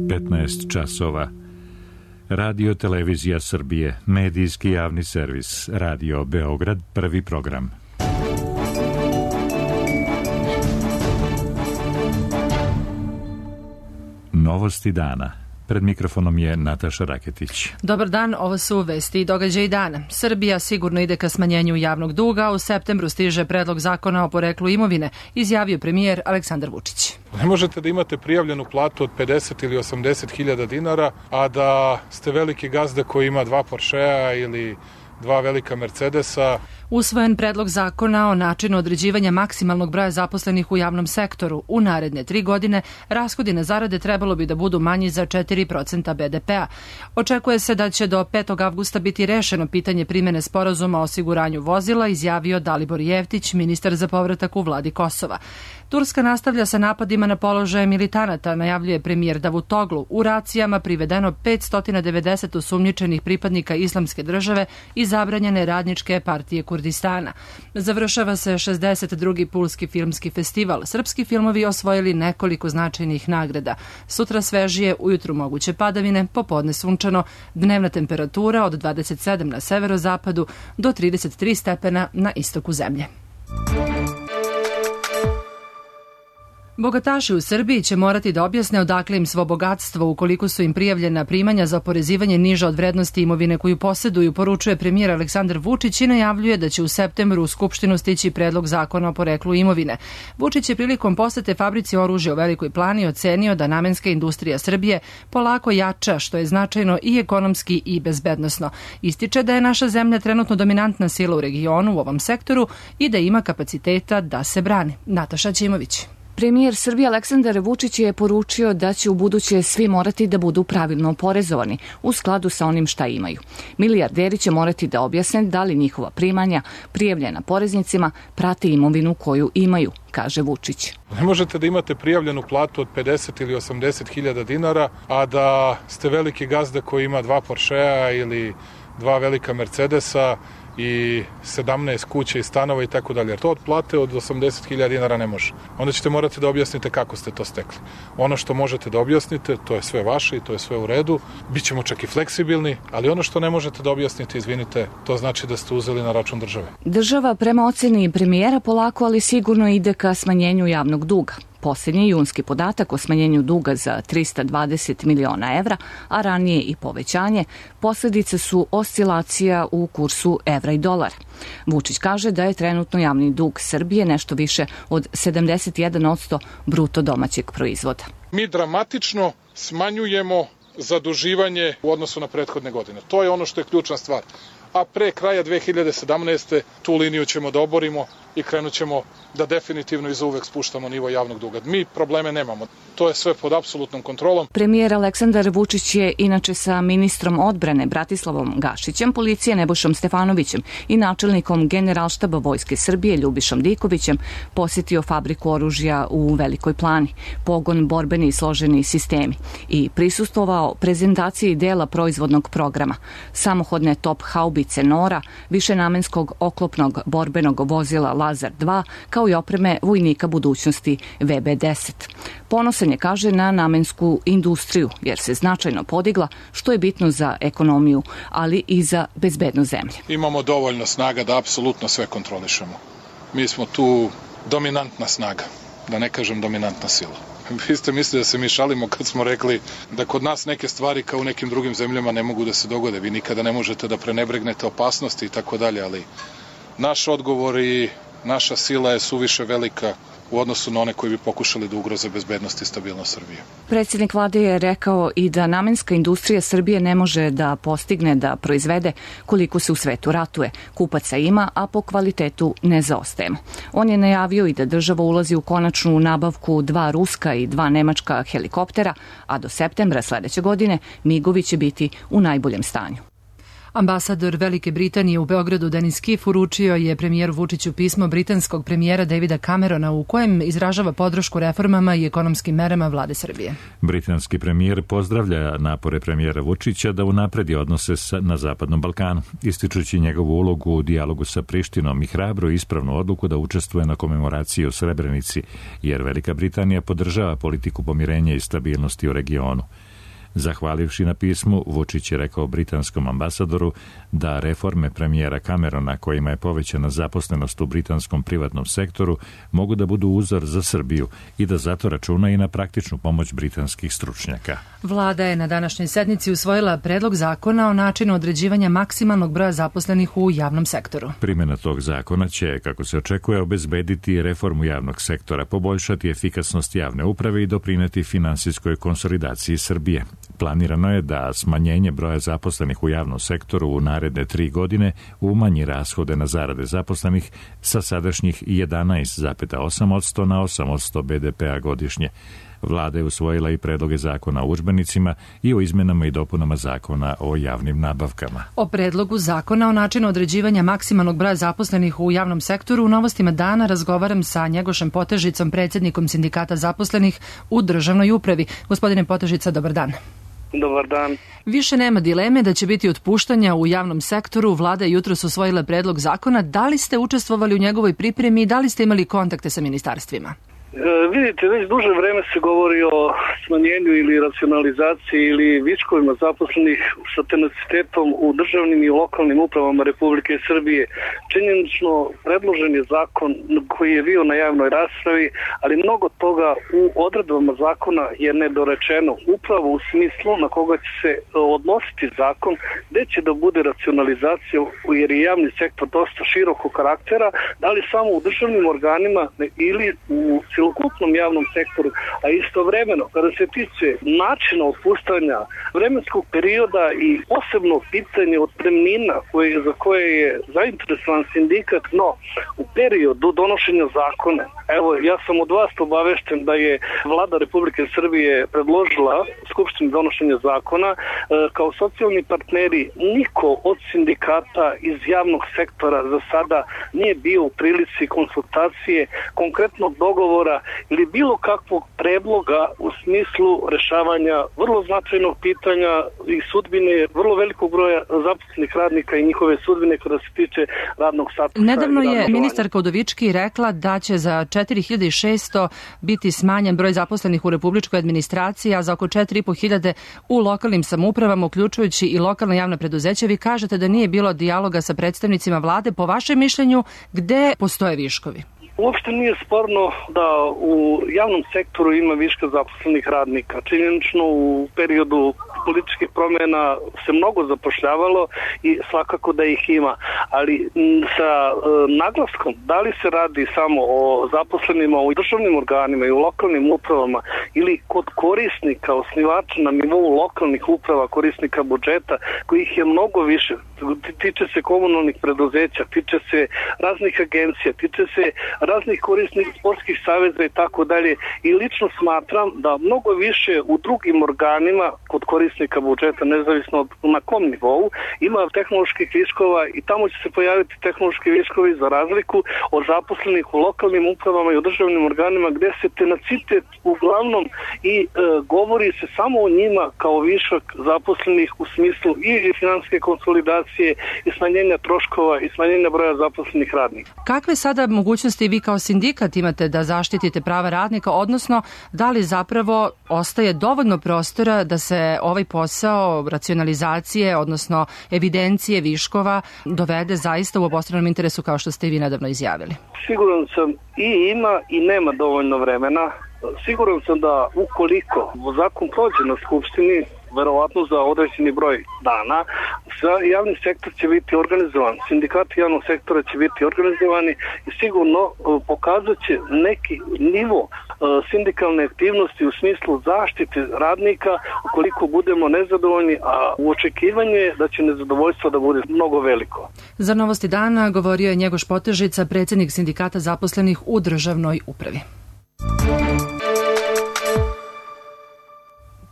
15 časova. Radio Televizija Srbije, medijski javni servis, Radio Beograd, prvi program. Novosti dana. Pred mikrofonom je Nataša Raketić. Dobar dan, ovo su vesti i događaji dana. Srbija sigurno ide ka smanjenju javnog duga, u septembru stiže predlog zakona o poreklu imovine, izjavio premijer Aleksandar Vučić. Ne možete da imate prijavljenu platu od 50 ili 80 hiljada dinara, a da ste veliki gazda koji ima 2 Porschea ili 2 velika Mercedesa. Usvojen predlog zakona o načinu određivanja maksimalnog broja zaposlenih u javnom sektoru. U naredne 3 godine rashodi na zarade trebalo bi da budu manji za 4% BDP-a. Očekuje se da će do 5. avgusta biti rešeno pitanje primene sporazuma o osiguranju vozila, izjavio Dalibor Jeftić, ministar za povratak u vladi Kosova. Turska nastavlja sa napadima na položaje militanata, najavljuje premijer Davutoglu. U racijama privedeno 590 osumnjičenih pripadnika Islamske države i zabranjene radničke partije Kurdistana. Završava se 62. Pulski filmski festival. Srpski filmovi osvojili nekoliko značajnih nagrada. Sutra svežije, ujutru moguće padavine, popodne sunčano, dnevna temperatura od 27 na severozapadu do 33 stepena na istoku zemlje. Bogataši u Srbiji će morati da objasne odakle im svo bogatstvo ukoliko su im prijavljena primanja za oporezivanje niža od vrednosti imovine koju poseduju, poručuje premijer Aleksandar Vučić i najavljuje da će u septembru u Skupštinu stići predlog zakona o poreklu imovine. Vučić je prilikom posete fabrici oružja u Velikoj Plani ocenio da namenska industrija Srbije polako jača, što je značajno i ekonomski i bezbednosno. Ističe da je naša zemlja trenutno dominantna sila u regionu u ovom sektoru i da ima kapaciteta da se brani. Nataša Ćimović. Premijer Srbije Aleksandar Vučić je poručio da će u buduće svi morati da budu pravilno oporezovani u skladu sa onim šta imaju. Milijarderi će morati da objasne da li njihova primanja prijavljena poreznicima prati imovinu koju imaju, kaže Vučić. Ne možete da imate prijavljenu platu od 50 ili 80 hiljada dinara, a da ste veliki gazda koji ima 2 Porschea ili 2 velika Mercedesa i 17 kuća i stanova i tako dalje. Jer to od plate od 80.000 dinara ne može. Onda ćete morati da objasnite kako ste to stekli. Ono što možete da objasnite, to je sve vaše i to je sve u redu. Bićemo čak i fleksibilni, ali ono što ne možete da objasnite, izvinite, to znači da ste uzeli na račun države. Država prema oceni premijera polako, ali sigurno ide ka smanjenju javnog duga. Posljednji junski podatak o smanjenju duga za 320 miliona evra, a ranije i povećanje, posljedice su oscilacija u kursu evra i dolara. Vučić kaže da je trenutno javni dug Srbije nešto više od 71% bruto domaćeg proizvoda. Mi dramatično smanjujemo zaduživanje u odnosu na prethodne godine. To je ono što je ključna stvar. A pre kraja 2017. tu liniju ćemo da oborimo i krenut ćemo da definitivno i zauvek spuštamo nivo javnog duga. Mi probleme nemamo. To je sve pod apsolutnom kontrolom. Premijer Aleksandar Vučić je inače sa ministrom odbrane Bratislavom Gašićem, policije Nebojšom Stefanovićem i načelnikom Generalštaba Vojske Srbije Ljubišom Dikovićem posjetio fabriku oružja u Velikoj Plani, pogon borbeni i složeni sistemi i prisustvovao prezentaciji dela proizvodnog programa, samohodne top haubice Nora, višenamenskog oklopnog borbenog vozila Lazar 2, kao i opreme vojnika budućnosti VB-10. Ponosan je, kaže, na namensku industriju, jer se značajno podigla, što je bitno za ekonomiju, ali i za bezbednost zemlje. Imamo dovoljno snaga da apsolutno sve kontrolišemo. Mi smo tu dominantna snaga, da ne kažem dominantna sila. Vi ste mislili da se mi šalimo kad smo rekli da kod nas neke stvari kao u nekim drugim zemljama ne mogu da se dogode. Vi nikada ne možete da prenebregnete opasnosti i tako dalje, ali naš odgovor i naša sila je suviše velika u odnosu na one koji bi pokušali da ugroze bezbednost i stabilnost Srbije. Predsjednik vlade je rekao i da namenska industrija Srbije ne može da postigne da proizvede koliko se u svetu ratuje. Kupaca ima, a po kvalitetu ne zaostajemo. On je najavio i da država ulazi u konačnu nabavku 2 ruska i 2 nemačka helikoptera, a do septembra sledeće godine migovi će biti u najboljem stanju. Ambasador Velike Britanije u Beogradu Denis Kiff uručio je premijeru Vučiću pismo britanskog premijera Davida Camerona u kojem izražava podršku reformama i ekonomskim merama vlade Srbije. Britanski premijer pozdravlja napore premijera Vučića da unapredi odnose na Zapadnom Balkanu, ističući njegovu ulogu u dijalogu sa Prištinom i hrabru i ispravnu odluku da učestvuje na komemoraciji u Srebrenici, jer Velika Britanija podržava politiku pomirenja i stabilnosti u regionu. Zahvalivši na pismu, Vučić je rekao britanskom ambasadoru da reforme premijera Camerona, kojima je povećana zaposlenost u britanskom privatnom sektoru, mogu da budu uzor za Srbiju i da zato računa i na praktičnu pomoć britanskih stručnjaka. Vlada je na današnjoj sednici usvojila predlog zakona o načinu određivanja maksimalnog broja zaposlenih u javnom sektoru. Primjena tog zakona će, kako se očekuje, obezbediti reformu javnog sektora, poboljšati efikasnost javne uprave i doprineti finansijskoj konsolidaciji Srbije. Planirano je da smanjenje broja zaposlenih u javnom sektoru u naredne 3 godine umanji rashode na zarade zaposlenih sa sadašnjih 11,8% na 8% BDP-a godišnje. Vlada je usvojila i predloge zakona o udžbenicima i o izmenama i dopunama zakona o javnim nabavkama. O predlogu zakona o načinu određivanja maksimalnog broja zaposlenih u javnom sektoru u Novostima dana razgovaram sa Njegošem Potežicom, predsjednikom Sindikata zaposlenih u državnoj upravi. Gospodine Potežica, dobar dan. Dobar dan. Više nema dileme da će biti otpuštanja u javnom sektoru. Vlada je jutros usvojila predlog zakona. Da li ste učestvovali u njegovoj pripremi i da li ste imali kontakte sa ministarstvima? Vidite, već duže vreme se govori o smanjenju ili racionalizaciji ili viškovima zaposlenih sa tenacitetom u državnim i lokalnim upravama Republike Srbije. Činjenično predložen je zakon koji je bio na javnoj raspravi, ali mnogo toga u odredbama zakona je nedorečeno, upravo u smislu na koga će se odnositi zakon, gde će da bude racionalizacija, jer je javni sektor dosta širokog karaktera, da li samo u državnim organima ili u celokupnom javnom sektoru, a istovremeno kada se tiče načina otpuštanja, vremenskog perioda i posebno pitanje otpremnina za koje je zainteresovan sindikat, no u periodu donošenja zakona, evo ja sam od vas obavešten da je Vlada Republike Srbije predložila Skupštini donošenja zakona, kao socijalni partneri niko od sindikata iz javnog sektora za sada nije bio u prilici konsultacije, konkretnog dogovora ili bilo kakvog predloga u smislu rešavanja vrlo značajnog pitanja i sudbine vrlo velikog broja zaposlenih radnika i njihove sudbine kada se tiče radnog statusa. Nedavno je ministarka Udovički rekla da će za 4600 biti smanjen broj zaposlenih u republičkoj administraciji, a za oko 4500 u lokalnim samoupravama, uključujući i lokalna javna preduzeća. Vi kažete da nije bilo dijaloga sa predstavnicima vlade. Po vašem mišljenju, gde postoje viškovi? Uopšte nije sporno da u javnom sektoru ima viška zaposlenih radnika. Činjenično u periodu političkih promjena se mnogo zapošljavalo i svakako da ih ima, ali sa naglaskom da li se radi samo o zaposlenima u državnim organima i u lokalnim upravama ili kod korisnika, osnivača na nivou lokalnih uprava, korisnika budžeta, kojih je mnogo više, tiče se komunalnih preduzeća, tiče se raznih agencija, tiče se raznih korisnih sportskih saveza i tako dalje, i lično smatram da mnogo više u drugim organima kod korisnika budžeta, nezavisno na kom nivou, ima tehnoloških viškova i tamo će se pojaviti tehnološki viškovi za razliku od zaposlenih u lokalnim upravama i u državnim organima gde se tenacitet uglavnom i govori se samo o njima kao višak zaposlenih u smislu i finansijske konsolidacije i smanjenja troškova i smanjenja broja zaposlenih radnika. Kakve sada mogućnosti vi kao sindikat imate da zaštitite prava radnika, odnosno da li zapravo ostaje dovoljno prostora da se ovaj posao racionalizacije, odnosno evidencije viškova dovede zaista u obostranom interesu kao što ste i vi nedavno izjavili? Siguran sam i ima i nema dovoljno vremena. Siguran sam da ukoliko zakon prođe na Skupštini, verovatno za određeni broj dana, javni sektor će biti organizovan, sindikati javnog sektora će biti organizovani i sigurno pokazat će neki nivo sindikalne aktivnosti u smislu zaštite radnika ukoliko budemo nezadovoljni, a u očekivanju je da će nezadovoljstvo da bude mnogo veliko. Za Novosti dana govorio je Njegoš Potežica, predsjednik Sindikata zaposlenih u državnoj upravi.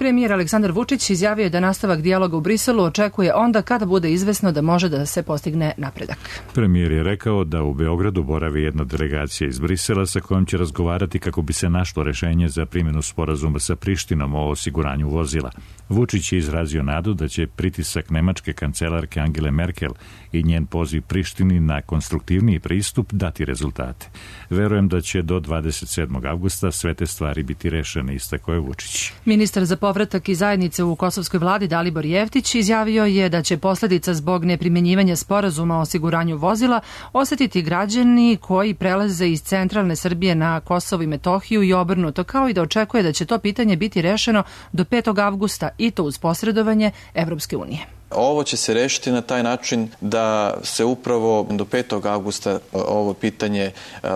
Premijer Aleksandar Vučić izjavio je da nastavak dijaloga u Briselu očekuje onda kada bude izvesno da može da se postigne napredak. Premijer je rekao da u Beogradu boravi jedna delegacija iz Brisela sa kojom će razgovarati kako bi se našlo rešenje za primjenu sporazuma sa Prištinom o osiguranju vozila. Vučić je izrazio nadu da će pritisak nemačke kancelarke Angele Merkel i njen poziv Prištini na konstruktivniji pristup dati rezultate. Verujem da će do 27. avgusta sve te stvari biti rešene, istakao je Vučić. Ministar za povratak i zajednice u kosovskoj vladi Dalibor Jeftić izjavio je da će posledica zbog neprimjenjivanja sporazuma o osiguranju vozila osetiti građani koji prelaze iz centralne Srbije na Kosovo i Metohiju i obrnuto, kao i da očekuje da će to pitanje biti rešeno do 5. avgusta i to uz posredovanje Evropske unije. Ovo će se rešiti na taj način da se upravo do 5. avgusta ovo pitanje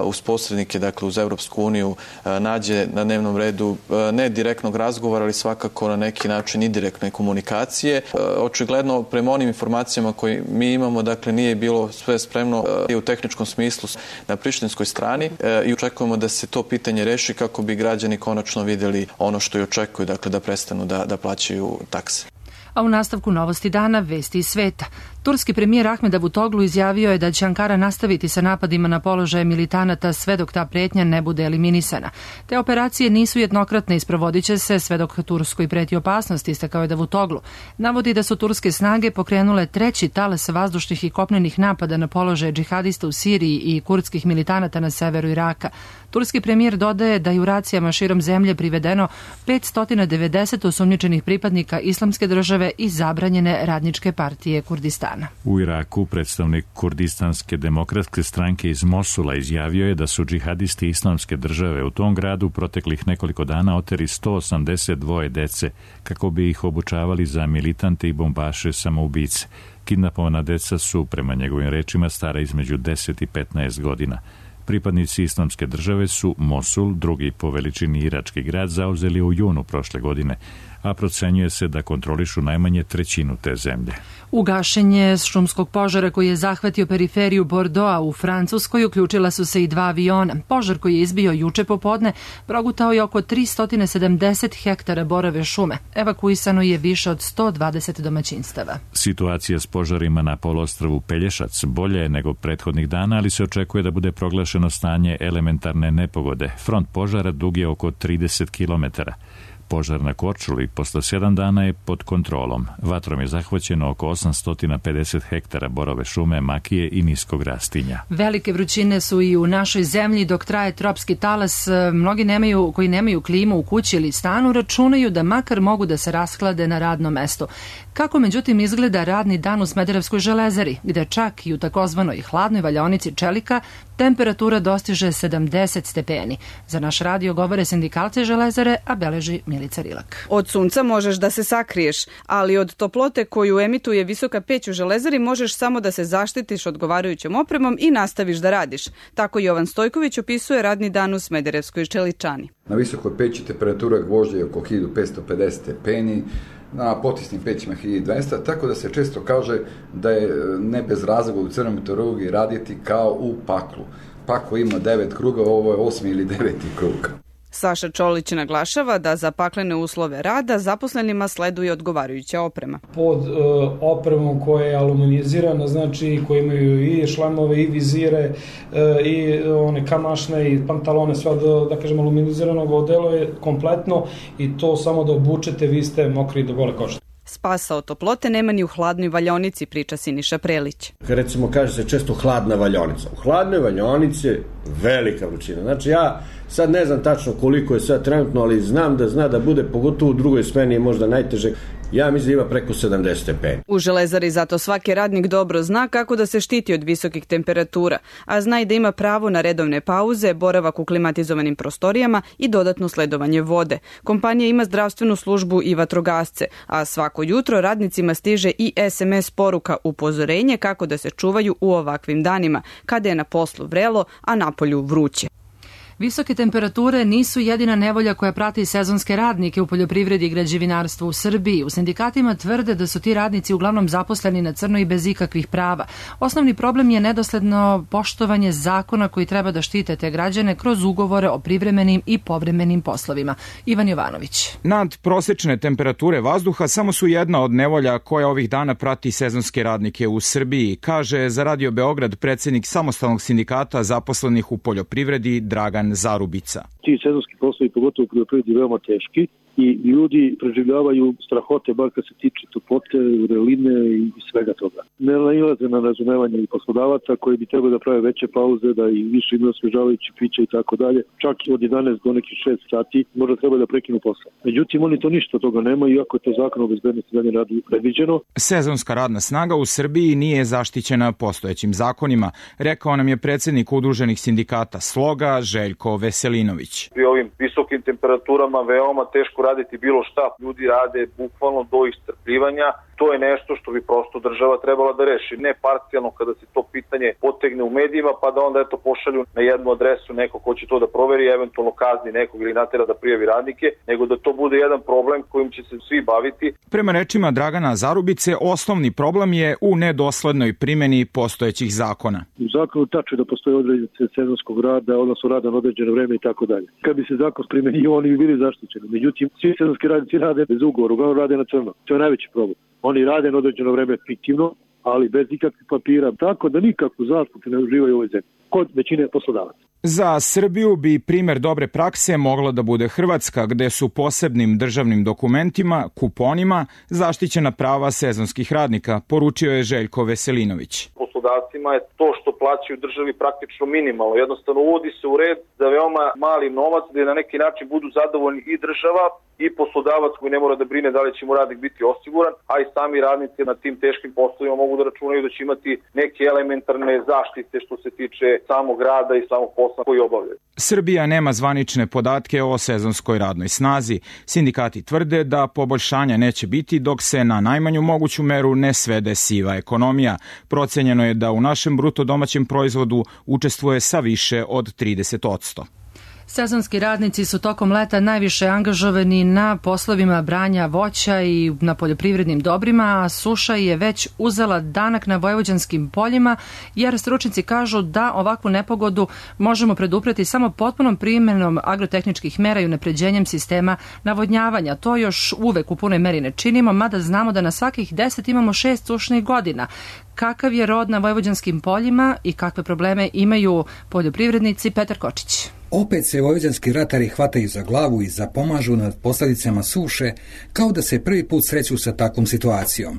uz posrednike, dakle uz Evropsku uniju, nađe na dnevnom redu ne direktnog razgovora, ali svakako na neki način i direktne komunikacije. Očigledno, prema onim informacijama koje mi imamo, dakle nije bilo sve spremno i u tehničkom smislu na prištinskoj strani i očekujemo da se to pitanje reši kako bi građani konačno vidjeli ono što i očekuju, dakle da prestanu da plaćaju takse. A u nastavku novosti dana, vesti iz sveta. Turski premijer Ahmed Davutoglu izjavio je da će Ankara nastaviti sa napadima na položaje militanata sve dok ta pretnja ne bude eliminisana. Te operacije nisu jednokratne i sprovodit će se sve dok Turskoj preti opasnost, istakao je Davutoglu. Navodi da su turske snage pokrenule treći talas vazdušnih i kopnenih napada na položaje džihadista u Siriji i kurdskih militanata na severu Iraka. Turski premijer dodaje da je u racijama širom zemlje privedeno 590 osumnjičenih pripadnika Islamske države i zabranjene radničke partije Kurdistana. U Iraku predstavnik Kurdistanske demokratske stranke iz Mosula izjavio je da su džihadisti Islamske države u tom gradu proteklih nekoliko dana oteli 182 dece kako bi ih obučavali za militante i bombaše samoubice. Kidnapovana deca su, prema njegovim rečima, stara između 10 i 15 godina. Pripadnici Islamske države su Mosul, drugi po veličini irački grad, zauzeli u junu prošle godine, a procenjuje se da kontrolišu najmanje trećinu te zemlje. U gašenje šumskog požara koji je zahvatio periferiju Bordeauxa u Francuskoj uključila su se i 2 aviona. Požar koji je izbio juče popodne progutao je oko 370 hektara borove šume. Evakuisano je više od 120 domaćinstava. Situacija s požarima na poluostrvu Pelješac bolje je nego prethodnih dana, ali se očekuje da bude proglašeno stanje elementarne nepogode. Front požara dug je oko 30 kilometara. Požar na Korčuli posle 7 dana je pod kontrolom. Vatrom je zahvaćeno oko 850 hektara borove šume, makije i niskog rastinja. Velike vrućine su i u našoj zemlji dok traje tropski talas. Mnogi koji nemaju klimu u kući ili stanu računaju da makar mogu da se rashlade na radnom mestu. Kako međutim izgleda radni dan u Smederevskoj železari, gde čak i u takozvanoj hladnoj valjaonici čelika temperatura dostiže 70 stepeni. Za naš radio govore sindikalci železare, a beleži Milica Rilak. Od sunca možeš da se sakriješ, ali od toplote koju emituje visoka peć u železari možeš samo da se zaštitiš odgovarajućom opremom i nastaviš da radiš. Tako Jovan Stojković opisuje radni dan u Smederevskoj čeličani. Na visokoj peći temperatura gvožđa je oko 1550 stepeni, na potisnim pećima 1200, tako da se često kaže da je ne bez razloga u crnoj meteorologiji raditi kao u paklu. Paklo ima 9 kruga, ovo je 8. ili 9. krug. Saša Čolić naglašava da za paklene uslove rada zaposlenima sleduje odgovarajuća oprema. Pod opremom koja je aluminizirana, znači koji imaju i šlemove i vizire i one kamašne i pantalone, sve da kažem aluminiziranog odelo je kompletno i to samo da obučete, vi ste mokri do gole kože. Spasa od toplote nema ni u hladnoj valjaonici, priča Siniša Prelić. Recimo kaže se često hladna valjaonica. U hladnoj valjaonici je velika vrućina. Znači ja sad ne znam tačno koliko je sad trenutno, ali znam da zna da bude, pogotovo u drugoj smeni je možda najteže. Ja mislim da ima preko 70 stepeni. U železari zato svaki radnik dobro zna kako da se štiti od visokih temperatura, a zna i da ima pravo na redovne pauze, boravak u klimatizovanim prostorijama i dodatno sledovanje vode. Kompanija ima zdravstvenu službu i vatrogasce, a svako jutro radnicima stiže i SMS poruka upozorenje kako da se čuvaju u ovakvim danima, kada je na poslu vrelo, a napolju vruće. Visoke temperature nisu jedina nevolja koja prati sezonske radnike u poljoprivredi i građevinarstvu u Srbiji. U sindikatima tvrde da su ti radnici uglavnom zaposleni na crno i bez ikakvih prava. Osnovni problem je nedosledno poštovanje zakona koji treba da štite te građane kroz ugovore o privremenim i povremenim poslovima. Ivan Jovanović. Nadprosečne temperature vazduha samo su jedna od nevolja koja ovih dana prati sezonske radnike u Srbiji, kaže za Radio Beograd predsjednik samostalnog sindikata zaposlenih u poljoprivredi Dragan Zarubica. Ti sezonski poslovi, pogotovo u poljoprivredi, veoma teški i ljudi preživljavaju strahote, bar kad se tiče toplote, vreline i svega toga. Ne nailaze na razumevanje i poslodavaca koji bi trebali da prave veće pauze, da i više imaju osvežavajući piće i tako dalje. Čak od 11 do nekih 6 sati možda treba da prekinu posao. Međutim, oni to ništa toga nemaju, iako je to zakon o bezbednosti dalje radu predviđeno. Sezonska radna snaga u Srbiji nije zaštićena postojećim zakonima, rekao nam je predsjednik udruženih sindikata Sloga Željko Veselinović. Pri ovim visokim temperaturama veoma teško raditi bilo šta. Ljudi rade bukvalno do iscrpljivanja. To je nešto što bi prosto država trebala da reši. Ne parcijalno kada se to pitanje potegne u medijima, pa da onda pošalju na jednu adresu neko ko će to da proveri, eventualno kazni nekog ili natera da prijavi radnike, nego da to bude jedan problem kojim će se svi baviti. Prema rečima Dragana Zarubice, osnovni problem je u nedoslednoj primjeni postojećih zakona. U zakonu tačno da postoje određene sezonskog rada, odnosno rada na određeno vreme i tako dalje. Kad bi se zakon primenio, oni bi bili zaštićeni. Međutim, svi sezonski radnici rade bez ugovora, uglavnom rade na crno. To je najveći problem. Oni rade na određeno vreme fiktivno, ali bez ikakvih papira, tako da nikakvu zaštitu ne uživaju u ovoj zemlji, kod većine poslodavaca. Za Srbiju bi primjer dobre prakse mogla da bude Hrvatska, gde su posebnim državnim dokumentima, kuponima, zaštićena prava sezonskih radnika, poručio je Željko Veselinović. Poslodavcima je to što plaćaju državi praktično minimalno. Jednostavno uvodi se u red za veoma mali novac, da na neki način budu zadovoljni i država i poslodavac koji ne mora da brine da li će mu radnik biti osiguran, a i sami radnici na tim teškim poslovima mogu da računaju da će imati neke elementarne zaštite što se tiče samog rada i samog posla koji obavljaju. Srbija nema zvanične podatke o sezonskoj radnoj snazi. Sindikati tvrde da poboljšanja neće biti dok se na najmanju moguću meru ne svede siva ekonomija. Procenjeno je da u našem bruto domaćem proizvodu učestvuje sa više od 30%. Sezonski radnici su tokom leta najviše angažovani na poslovima branja voća i na poljoprivrednim dobrima, a suša je već uzela danak na vojvođanskim poljima, jer stručnjaci kažu da ovakvu nepogodu možemo predupreti samo potpunom primjenom agrotehničkih mera i unapređenjem sistema navodnjavanja. To još uvek u punoj meri ne činimo, mada znamo da na svakih 10 imamo 6 sušnih godina. Kakav je rod na vojvođanskim poljima i kakve probleme imaju poljoprivrednici? Petar Kočić. Opet se vojvođanski ratari hvataju za glavu i zapomažu nad posljedicama suše, kao da se prvi put sreću sa takvom situacijom.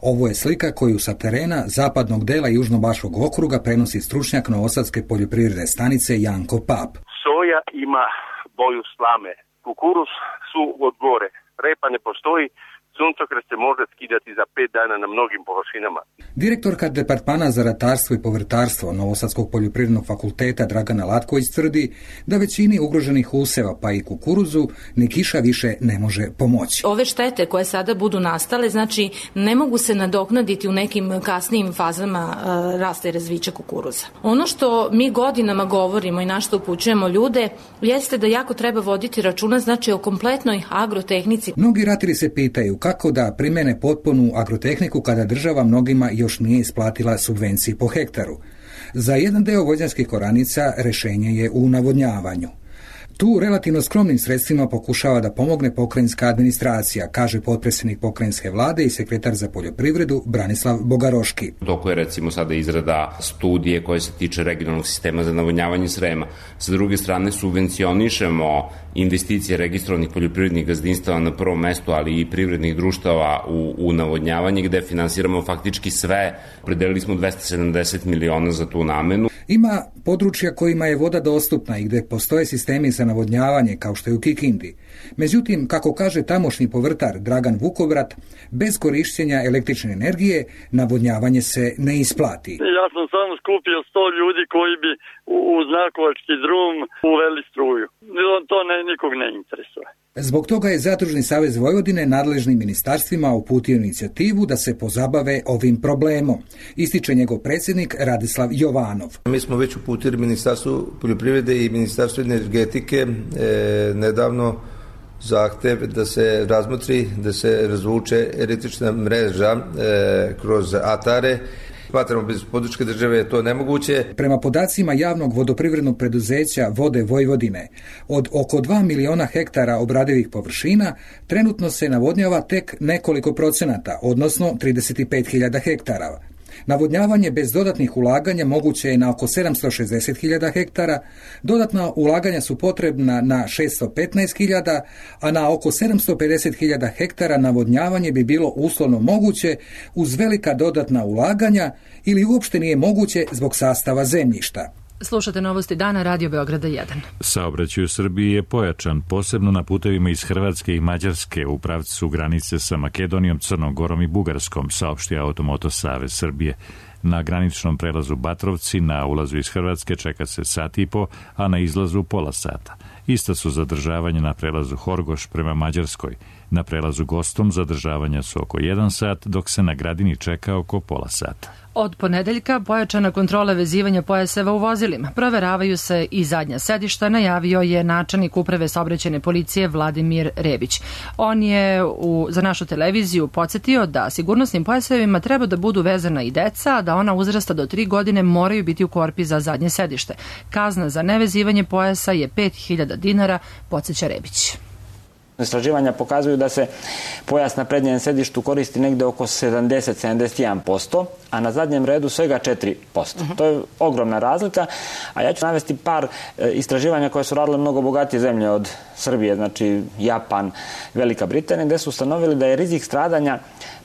Ovo je slika koju sa terena zapadnog dela Južnobaškog okruga prenosi stručnjak Novosadske poljoprivredne stanice Janko Pap. Soja ima boju slame, kukuruz su od gore, repa ne postoji, suncokret se može skidati za 5 dana na mnogim površinama. Direktorka Departmana za ratarstvo i povrtarstvo Novosadskog poljoprivrednog fakulteta Dragana Latković tvrdi da većini ugroženih useva pa i kukuruzu ni kiša više ne može pomoći. Ove štete koje sada budu nastale, znači ne mogu se nadoknaditi u nekim kasnijim fazama rasta i razvića kukuruza. Ono što mi godinama govorimo i na što upućujemo ljude jeste da jako treba voditi računa, znači o kompletnoj agrotehnici. Mnogi ratari se pitaju kako da primene potpunu agrotehniku kada država mnogima još nije isplatila subvencije po hektaru. Za jedan deo vođanskih oranica rešenje je u navodnjavanju. Tu relativno skromnim sredstvima pokušava da pomogne pokrajinska administracija, kaže potpredsjednik pokrajinske vlade i sekretar za poljoprivredu Branislav Bogaroški. Doko je recimo sada izrada studije koje se tiče regionalnog sistema za navodnjavanje Srema. Sa druge strane subvencionišemo investicije registrovanih poljoprivrednih gazdinstava na prvom mestu, ali i privrednih društava u navodnjavanje, gde finansiramo faktički sve. Predelili smo 270 miliona za tu namenu. Ima područja kojima je voda dostupna i gde postoje sistemi za navodnjavanje, kao što je u Kikindi. Međutim, kako kaže tamošnji povrtar Dragan Vukobrat, bez korišćenja električne energije navodnjavanje se ne isplati. Ja sam samo skupio 100 ljudi koji bi uz Nakovački drum uveli struju. To nikog ne interesuje. Zbog toga je Zadružni savez Vojvodine nadležnim ministarstvima uputio inicijativu da se pozabave ovim problemom, ističe njegov predsjednik Radislav Jovanov. Mi mi smo već uputili Ministarstvu poljoprivrede i Ministarstvu energetike nedavno zahtev da se razmotri, da se razvuče električna mreža kroz atare. Smatramo bez podrške države je to nemoguće. Prema podacima javnog vodoprivrednog preduzeća Vode Vojvodine, od oko 2 miliona hektara obradivih površina, trenutno se navodnjava tek nekoliko procenata, odnosno 35.000 hektara. Navodnjavanje bez dodatnih ulaganja moguće je na oko 760.000 hektara, dodatna ulaganja su potrebna na 615.000, a na oko 750.000 hektara navodnjavanje bi bilo uslovno moguće uz velika dodatna ulaganja ili uopšte nije moguće zbog sastava zemljišta. Slušate Novosti dana, Radio Beograda 1. Saobraćaj u Srbiji je pojačan, posebno na putevima iz Hrvatske i Mađarske u pravcu granice sa Makedonijom, Crnom Gorom i Bugarskom, saopštio Automoto Savez Srbije. Na graničnom prelazu Batrovci na ulazu iz Hrvatske čeka se sat i po, a na izlazu pola sata. Ista su zadržavanja na prelazu Horgoš prema Mađarskoj. Na prelazu Gostom zadržavanja su oko 1 sat, dok se na Gradini čeka oko pola sata. Od ponedeljka pojačana kontrola vezivanja pojaseva u vozilima. Proveravaju se i zadnja sedišta, najavio je načelnik Uprave saobraćajne policije Vladimir Rebić. On je za našu televiziju podsjetio da sigurnosnim pojasevima treba da budu vezana i deca, a da ona uzrasta do 3 godine moraju biti u korpi za zadnje sedište. Kazna za nevezivanje pojasa je 5.000 dinara, podsjeća Rebić. Istraživanja pokazuju da se pojas na prednjem sedištu koristi negde oko 70-71%, a na zadnjem redu svega 4%. To je ogromna razlika, a ja ću navesti par istraživanja koje su radile mnogo bogatije zemlje od Srbije, znači Japan, Velika Britanija, gde su ustanovili da je rizik stradanja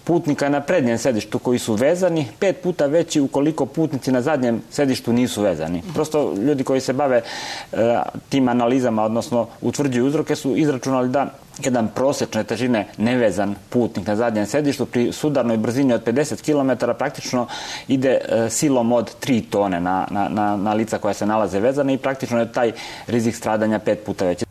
putnika na prednjem sedištu koji su vezani 5 puta veći ukoliko putnici na zadnjem sedištu nisu vezani. Prosto ljudi koji se bave tim analizama, odnosno utvrđuju uzroke, su izračunali da jedan prosečne težine nevezan putnik na zadnjem sedištu pri sudarnoj brzini od 50 km praktično ide silom od 3 tone na lica koja se nalaze vezana i praktično je taj rizik stradanja 5 puta veći.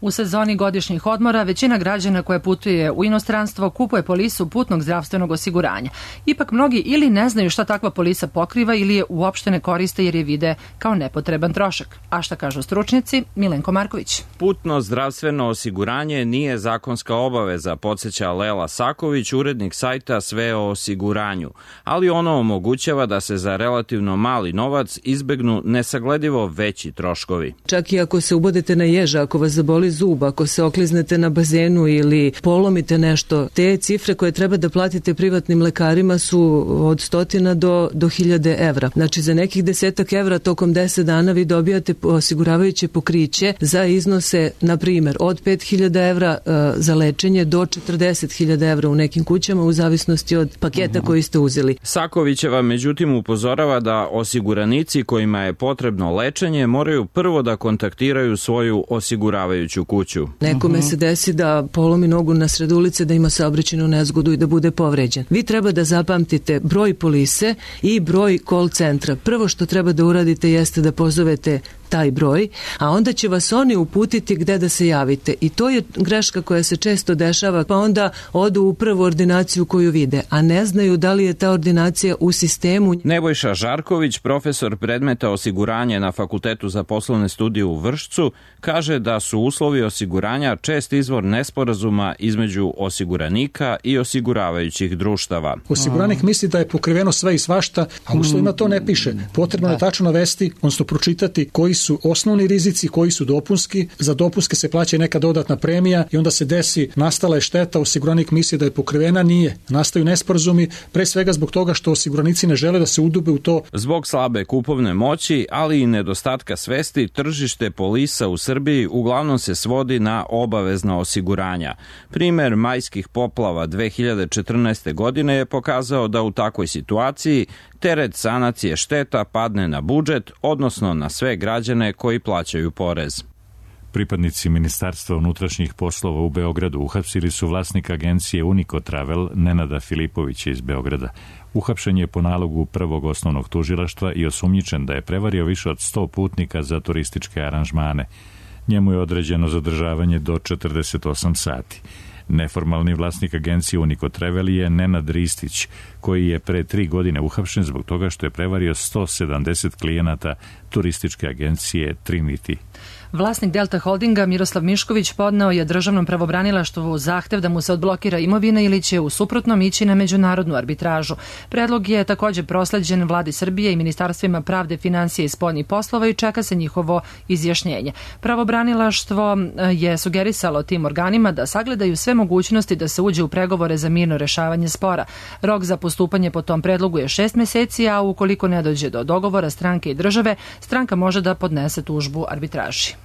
U sezoni godišnjih odmora većina građana koja putuje u inostranstvo kupuje polisu putnog zdravstvenog osiguranja. Ipak mnogi ili ne znaju šta takva polisa pokriva ili je uopšte ne koriste jer je vide kao nepotreban trošak. A šta kažu stručnjaci? Milenko Marković. Putno zdravstveno osiguranje nije zakonska obaveza, podsjeća Lela Saković, urednik sajta Sve o osiguranju, ali ono omogućava da se za relativno mali novac izbegnu nesagledivo veći troškovi. Čak i ako se ubodete na ježa, ako vas zaboli zub, ako se okliznete na bazenu ili polomite nešto, te cifre koje treba da platite privatnim lekarima su od 100 do 1000 evra. Znači za nekih 10 evra tokom 10 dana vi dobijate osiguravajuće pokriće za iznose, na primjer, od 5000 evra za lečenje do 40.000 evra u nekim kućama u zavisnosti od paketa koji ste uzeli. Sakovićeva međutim upozorava da osiguranici kojima je potrebno lečenje moraju prvo da kontaktiraju svoju osiguravajuću kuću. Nekome se desi da polomi nogu na sred ulice, da ima saobraćajnu nezgodu i da bude povređen. Vi treba da zapamtite broj polise i broj call centra. Prvo što treba da uradite jeste da pozovete taj broj, a onda će vas oni uputiti gde da se javite. I to je greška koja se često dešava, pa onda odu u prvu ordinaciju koju vide, a ne znaju da li je ta ordinacija u sistemu. Nebojša Žarković, profesor predmeta osiguranje na Fakultetu za poslovne studije u Vršcu, kaže da su uslovi osiguranja čest izvor nesporazuma između osiguranika i osiguravajućih društava. Osiguranik misli da je pokriveno sve i svašta, a u uslovima to ne piše. Potrebno je tačno navesti, odnosno pročitati koji su osnovni rizici, koji su dopunski. Za dopunske se plaća neka dodatna premija i onda se desi, nastala je šteta, osiguranik misli da je pokrivena, nije. Nastaju nesporazumi, pre svega zbog toga što osiguranici ne žele da se udube u to. Zbog slabe kupovne moći, ali i nedostatka svesti, tržište polisa u Srbiji uglavnom se svodi na obavezna osiguranja. Primer majskih poplava 2014. godine je pokazao da u takvoj situaciji teret sanacije šteta padne na budžet, odnosno na sve građane koji plaćaju porez. Pripadnici Ministarstva unutrašnjih poslova u Beogradu uhapsili su vlasnika agencije Unico Travel Nenada Filipovića iz Beograda. Uhapšen je po nalogu prvog osnovnog tužilaštva i osumnjičen da je prevario više od 100 putnika za turističke aranžmane. Njemu je određeno zadržavanje do 48 sati. Neformalni vlasnik agencije Unico Travel je Nenad Ristić, koji je pre 3 godine uhapšen zbog toga što je prevario 170 klijenata turističke agencije Trinity. Vlasnik Delta Holdinga Miroslav Mišković podneo je državnom pravobranilaštvu zahtev da mu se odblokira imovina ili će u suprotnom ići na međunarodnu arbitražu. Predlog je također prosleđen Vladi Srbije i ministarstvima pravde, financije i spoljnih poslova i čeka se njihovo izjašnjenje. Pravobranilaštvo je sugerisalo tim organima da sagledaju sve mogućnosti da se uđe u pregovore za mirno rešavanje spora. Rok za postupanje po tom predlogu je 6 meseci, a ukoliko ne dođe do dogovora stranke i države, stranka može da podnese tužbu arbitraži.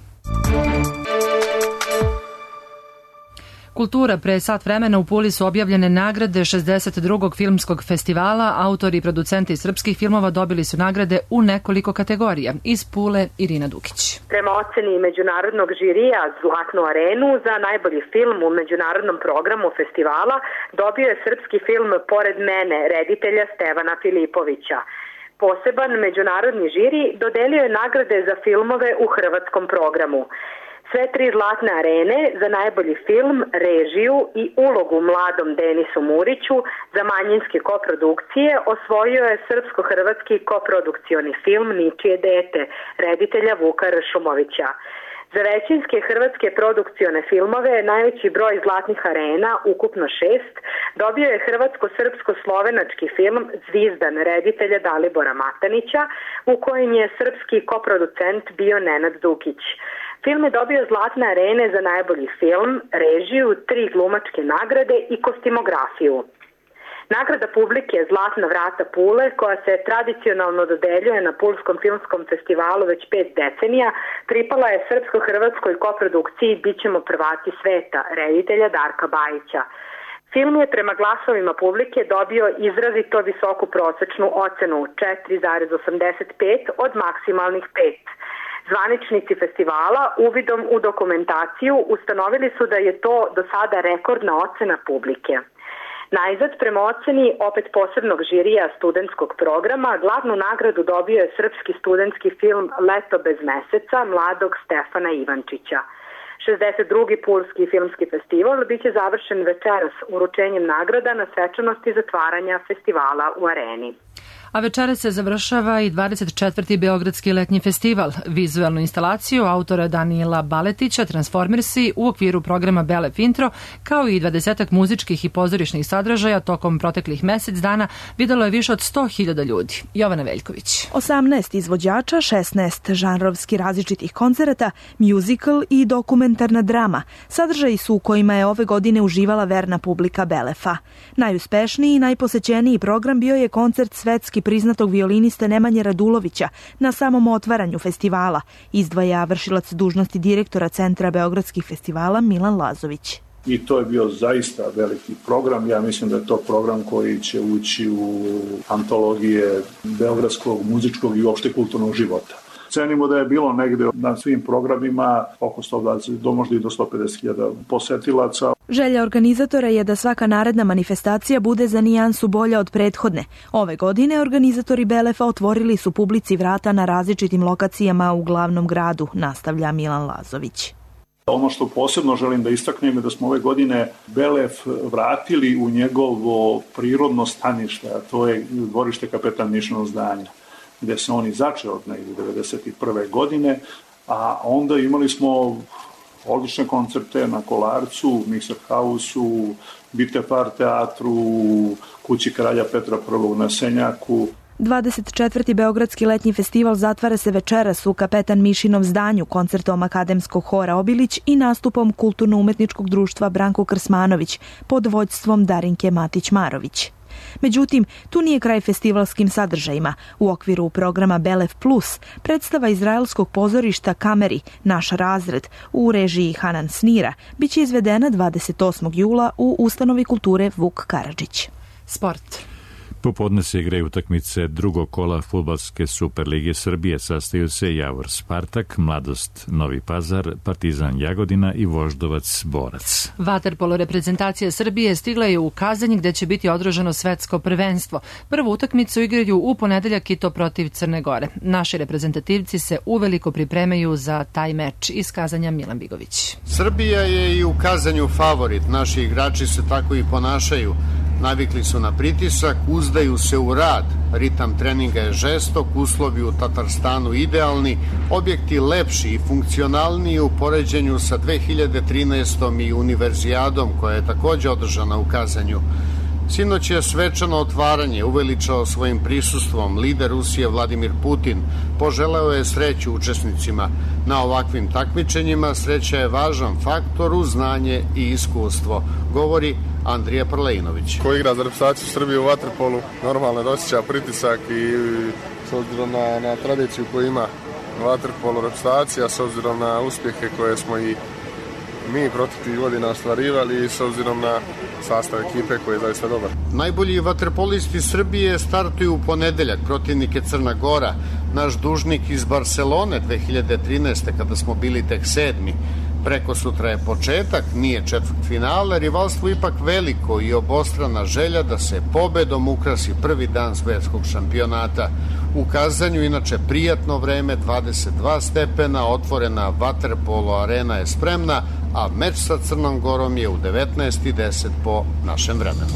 Kultura. Pre sat vremena u Puli su objavljene nagrade 62. filmskog festivala. Autori i producenti srpskih filmova dobili su nagrade u nekoliko kategorija. Iz Pule Irina Dukić. Prema oceni međunarodnog žirija Zlatnu arenu za najbolji film u međunarodnom programu festivala dobio je srpski film Pored mene, reditelja Stevana Filipovića. Poseban međunarodni žiri dodelio je nagrade za filmove u hrvatskom programu. Sve 3 Zlatne arene za najbolji film, režiju i ulogu mladom Denisu Muriću za manjinske koprodukcije osvojio je srpsko-hrvatski koprodukcioni film Ničije dete, reditelja Vuka Ršumovića. Za većinske hrvatske produkcione filmove najveći broj Zlatnih arena, ukupno 6, dobio je hrvatsko-srpsko-slovenački film Zvizdan reditelja Dalibora Matanića, u kojem je srpski koproducent bio Nenad Dukić. Film je dobio Zlatne arene za najbolji film, režiju, 3 glumačke nagrade i kostimografiju. Nagrada publike Zlatna vrata Pule, koja se tradicionalno dodeljuje na Pulskom filmskom festivalu već 5 decenija, pripala je srpsko-hrvatskoj koprodukciji Bićemo prvaci sveta, reditelja Darka Bajića. Film je prema glasovima publike dobio izrazito visoku prosečnu ocenu 4,85 od maksimalnih 5. Zvaničnici festivala uvidom u dokumentaciju ustanovili su da je to do sada rekordna ocena publike. Najzad, prema oceni opet posebnog žirija studentskog programa, glavnu nagradu dobio je srpski studentski film Leto bez meseca mladog Stefana Ivančića. 62. Pulski filmski festival biće završen večeras uručenjem nagrada na svečanosti zatvaranja festivala u Areni. A večera se završava i 24. Beogradski letnji festival. Vizualnu instalaciju autora Danijela Baletića Transformersi u okviru programa Belef Intro, kao i 20 muzičkih i pozorišnih sadržaja tokom proteklih mesec dana videlo je više od 100.000 ljudi. Jovana Veljković. 18 izvođača, 16 žanrovski različitih koncerata, musical i dokumentarna drama. Sadržaji su u kojima je ove godine uživala verna publika Belefa. Najuspešniji i najposećeniji program bio je koncert svetski priznatog violiniste Nemanje Radulovića na samom otvaranju festivala, izdvaja vršilac dužnosti direktora Centra beogradskih festivala Milan Lazović. I to je bio zaista veliki program. Ja mislim da je to program koji će ući u antologije beogradskog, muzičkog i uopšte kulturnog života. Cenimo da je bilo negde na svim programima oko 120, možda i do 150.000 posetilaca. Želja organizatora je da svaka naredna manifestacija bude za nijansu bolja od prethodne. Ove godine organizatori Belefa otvorili su publici vrata na različitim lokacijama u glavnom gradu, nastavlja Milan Lazović. Ono što posebno želim da istaknem je da smo ove godine Belef vratili u njegovo prirodno stanište, a to je dvorište Kapetan Mišinog zdanja, gde se on i začeo negdje 1991. godine, a onda imali smo odlične koncerte na Kolarcu, Mixer House-u, Bitefar teatru, Kući kralja Petra I na Senjaku. 24. Beogradski letnji festival zatvara se večeras u Kapetan Mišinov zdanju koncertom Akademskog hora Obilić i nastupom Kulturno-umetničkog društva Branko Krsmanović pod vođstvom Darinke Matić-Marović. Međutim, tu nije kraj festivalskim sadržajima. U okviru programa Belef Plus predstava izraelskog pozorišta Kameri, Naš razred, u režiji Hanan Snira, biće izvedena 28. jula u Ustanovi kulture Vuk Karadžić. Sport. Popodne se igraju utakmice drugog kola fudbalske Superlige Srbije. Sastaju se Javor Spartak, Mladost Novi Pazar, Partizan Jagodina i Voždovac Borac. Vaterpolo reprezentacija Srbije stigla je u Kazanj gde će biti održano svetsko prvenstvo. Prvu utakmicu igraju u ponedeljak i to protiv Crne Gore. Naši reprezentativci se uveliko pripremaju za taj meč. Iz Kazanja Milan Bigović. Srbija je i u Kazanju favorit. Naši igrači se tako i ponašaju. Navikli su na pritisak, uzdaju se u rad. Ritam treninga je žestok, uslovi u Tatarstanu idealni, objekti lepši i funkcionalniji u poređenju sa 2013. i Univerzijadom koja je takođe održana u Kazanju. Sinoć je svečano otvaranje uveličao svojim prisustvom lider Rusije Vladimir Putin. Poželeo je sreću učesnicima. Na ovakvim takmičenjima sreća je važan faktor uz znanje i iskustvo, govori Andrija Prlejnović. Ko igra za reprezentaciju Srbije u vaterpolu, normalno da osjeća pritisak i s obzirom na tradiciju koju ima vaterpolu reprezentacija, s obzirom na uspjehe koje smo i mi proteklih godina ostvarivali i s obzirom na sastav ekipe koji je zaista dobar. Najbolji vaterpolisti Srbije startuju u ponedeljak, protivnik je Crna Gora. Naš dužnik iz Barcelone 2013. kada smo bili tek 7. Preko sutra je početak, nije četvrtfinale, rivalstvo ipak veliko i obostrana želja da se pobedom ukrasi prvi dan svetskog šampionata. U Kazanju inače prijatno vreme, 22 stepena, otvorena vaterpolo arena je spremna, a meč sa Crnom Gorom je u 19:10 po našem vremenu.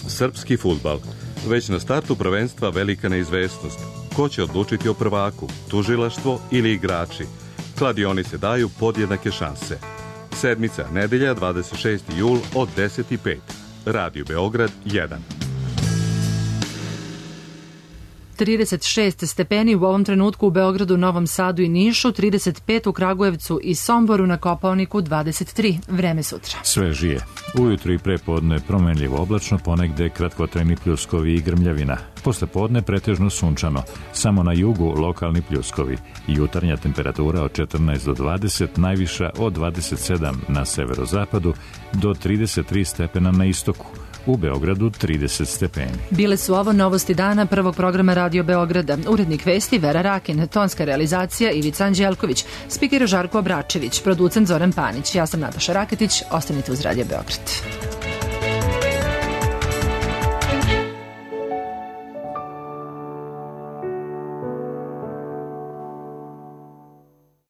Srpski fudbal. Već na startu prvenstva velika neizvesnost. Ko će odlučiti o prvaku, tužilaštvo ili igrači? Kladionice daju podjednake šanse. Sedmica, nedelja, 26. jul od 10:05. Radio Beograd 1. 36 stepeni u ovom trenutku u Beogradu, Novom Sadu i Nišu, 35 u Kragujevcu i Somboru, na Kopaoniku 23. Vreme sutra. Svežije. Ujutru i prepodne promenljivo oblačno, ponegde kratkotrajni pljuskovi i grmljavina. Posle podne pretežno sunčano. Samo na jugu lokalni pljuskovi. Jutarnja temperatura od 14 do 20, najviša od 27 na severozapadu do 33 stepena na istoku. U Beogradu 30 stepeni. Bile su ovo novosti dana prvog programa Radio Beograda. Urednik vesti Vera Rakin, tonska realizacija Ivica Anđelković, spiker Žarko Obračević, producent Zoran Panić. Ja sam Nataša Raketić, ostanite uz Radio Beograd.